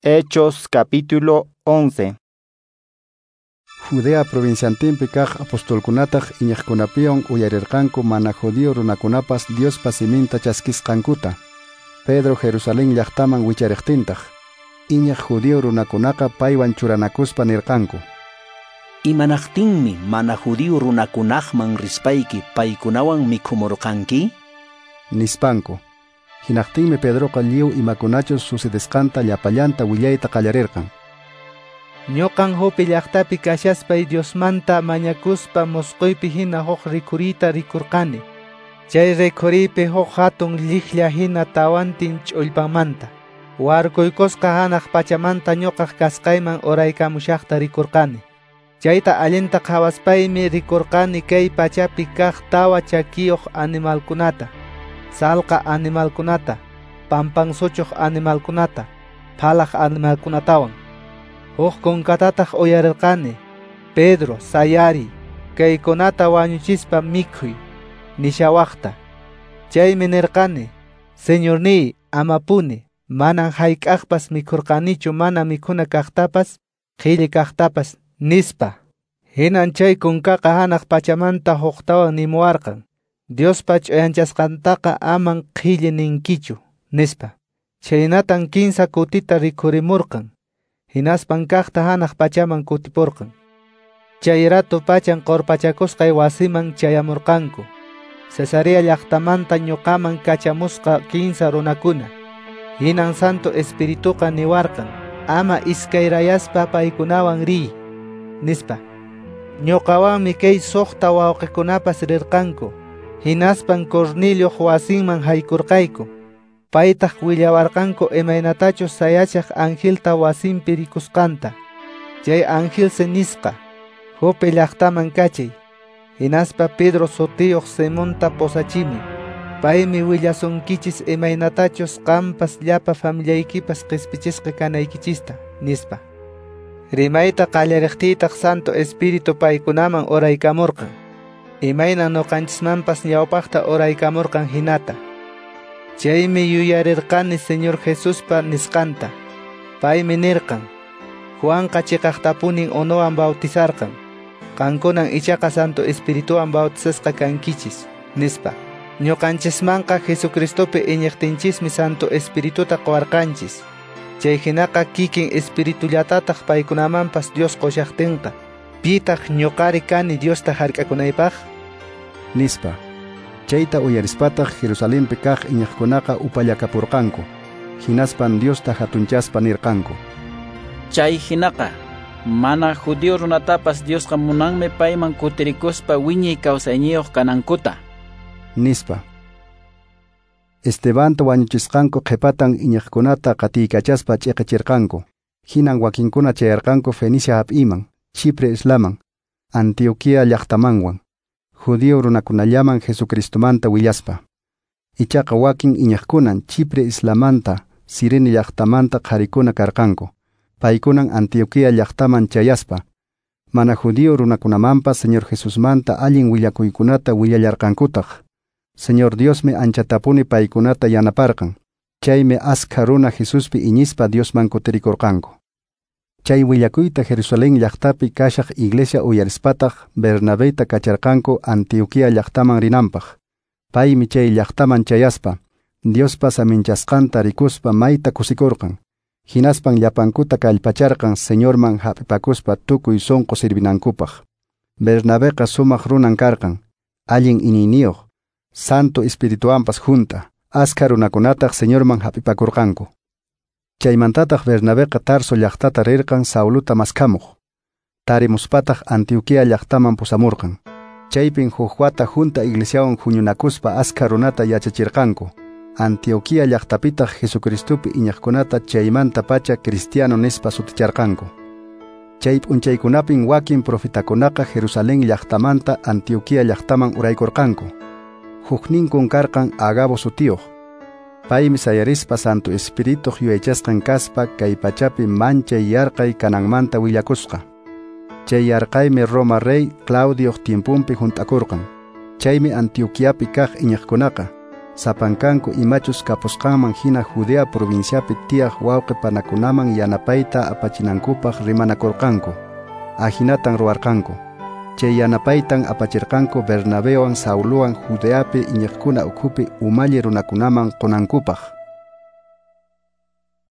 Hechos capítulo 11. Judea provinciantinpi kaq apostolkunataq iñiqkunapiwan uyarirqanku mana judío runakunapas Diospa siminta chaskisqankuta. Pedro Jerusalén llaqtaman wichariqtintaq, iñiq judío runakunaqa paywan churanakuspa nirqanku: Imanaqtinmi mana judío runakunaqman rispayki paykunawan mikhumurqanki? Nispanku. Hinaqtinmi Pedroqa lliw imakunachus sucedesqanta llapallanta willayta qallarirqan. Ñuqan Jope llaqtapi kashaspay Diosmanta mañakuspa mosqoypi hina huk rikhuriyta rikurqani. Chay rikhuriypi huk hatun lliklla hina tawantin ch'ullpanmanta. Warkuykusqa hanaq pachamanta ñuqaq kasqayman uraykamushaqta rikurqani. Chayta allinta qhawaspaymi rikurqani kay pachapi kaq tawa chakiyuq animalkunata, salqa animalkunata, pampan suchuq animalkunata, phalaq animalkunatawan. Huk kunkatataq uyarirqani: Pedro, sayari, kaykunata wañuchispa mikhuy, nishawaqta. Chaymi nirqani: Señorniy, amapuni, manan hayk'aqpas mikhurqanichu mana mikhuna kaqtapas, qhilli kaqtapas, nispa. Hinan chay kunkaqa hanaq pachamanta huktawan nimuwarqan: Diospa ch'uyanchasqantaqa aman qhilli ninkichu, nispa. Chhaynatan kinsa kutita rikhurimurqan. Hinaspan kaqta hanaq pachaman kutipurqan. Chay rato pachan qurpachakusqay wasiman chayamurqanku. Cesarea llaqtamanta ñuqaman kachamusqa kinsa runakuna. Hinan Santo Espirituqa niwarqan: ama iskayrayaspa paykunawan riy, nispa. Ñuqawanmi kay suqta wawqikunapas rirqanku. Hinaspan Cornelioq wasinman haykurqayku. Paytaq willawarqanku imaynatachus sayachaq angelta wasinpi rikusqanta. Chay angelsi nisqa: Jope llaqtaman kachay, hinaspa Pedro sutiyuq Simonta posachimi. Paymi willasunkichis imaynatachus qampas llapa familiaykipas qispichisqa kanaykichista, nispa. Rimayta qallariqtiytaq Santo Espíritu paykunaman uraykamurqan, imayna ñuqanchismanpas ñawpaqta uraykamurqan hinata. Chaymi yuyarirqani Señor Jesuspa nisqanta. Paymi nirqan: Juanqa chiqaqtapunin unuwan bautizarqan, qankunan ichaqa Santo Espirituwan bautizasqa kankichis, nispa. Ñuqanchismanqa Jesucristopi iñiqtinchismi Santo Espirituta quwarqanchis. Chay hinaqa kikin Espiritullatataq paykunamanpas Dios qushaqtinqa, pitaq ñuqari kani Diosta hark'akunaypaq? Nispa. Chayta uyarispataq Jerusalenpi kaq iñiqkunaqa upallakapurqanku. Hinaspan Diosta hatunchaspa nirqanku: Chay hinaqa mana judío runatapas Diosqa munanmi payman kutirikuspa wiñay kawsayniyuq kanankuta, nispa. Estebanta wañuchisqanku qhipatan iñiqkunata qatiykachaspa ch'iqichirqanku. Hinan wakinkuna chayarqanku Fenicia hap'iman, Chipre islaman, Antioquía llaqtamanwan, judío runakunallaman Jesucristomanta willaspa. Ichaqa wakin iñiqkunan Chipre islamanta, Cirene llaqtamanta qharikuna karqanku. Paykunan Antioquía llaqtaman chayaspa, mana judío runakunamanpas Señor Jesusmanta allin willakuykunata willallarqankutaq. Señor Diosmi anchatapuni paykunata yanaparqan. Chaymi askha runa Jesuspi iñispa Diosman kutirikurqanku. Chay willakuyta Jerusalén llaqtapi kashaq iglesia uyarispataq Bernabeta kacharqanku Antioquía llaqtaman rinanpaq. Paymi chay llaqtaman chayaspa, Diospa saminchasqanta rikuspa mayta kusikurqan. Hinaspan llapankuta kallpacharqan Señorman hap'ipakuspa tukuy sunqu sirvinankupaq. Bernabeqa sumaq runan karqan, allin iñiyniyuq, Santo Espirituwanpas junta, askha runakunataq Señorman hap'ipakurqanku. Chaymantataq Bernabeqa Tarso llaqtata rirqan Sauluta maskhamuq. Tarimuspataq Antioquía llaqtaman pusamurqan. Chaypin huk wata junta iglesiawan huñunakuspa askha runata yachachirqanku. Antioquía llaqtapitaq Jesucristopi iñiqkunata chaymanta pacha cristiano nispa suticharqanku. Chay p'unchaykunapin wakin profetakunaqa Jerusalén llaqtamanta Antioquía llaqtaman uraykurqanku. Hukninkun karqan Agabo sutiyuq. Paymi sayarispa Santo Espirituq yuyaychasqan kaspa kay pachapi manchay yarqay kananmanta willakusqa. Chay yarqaymi Roma rey Claudioq tiempunpi hunt'akurqan. Chaymi Antioquiapi kaq iñiqkunaqa Sapankanku imachus kapusqanman hina Judea provinciapi tiyaq wawqe panakunaman yanapayta apachinankupaq rimanakurqanku. Ahinatan ruwarqanku. Chay yanapaytan apachirqanku Bernabewan Saulowan Judeapi iñiqkuna ukhupi umalli runakunaman qunankupaq.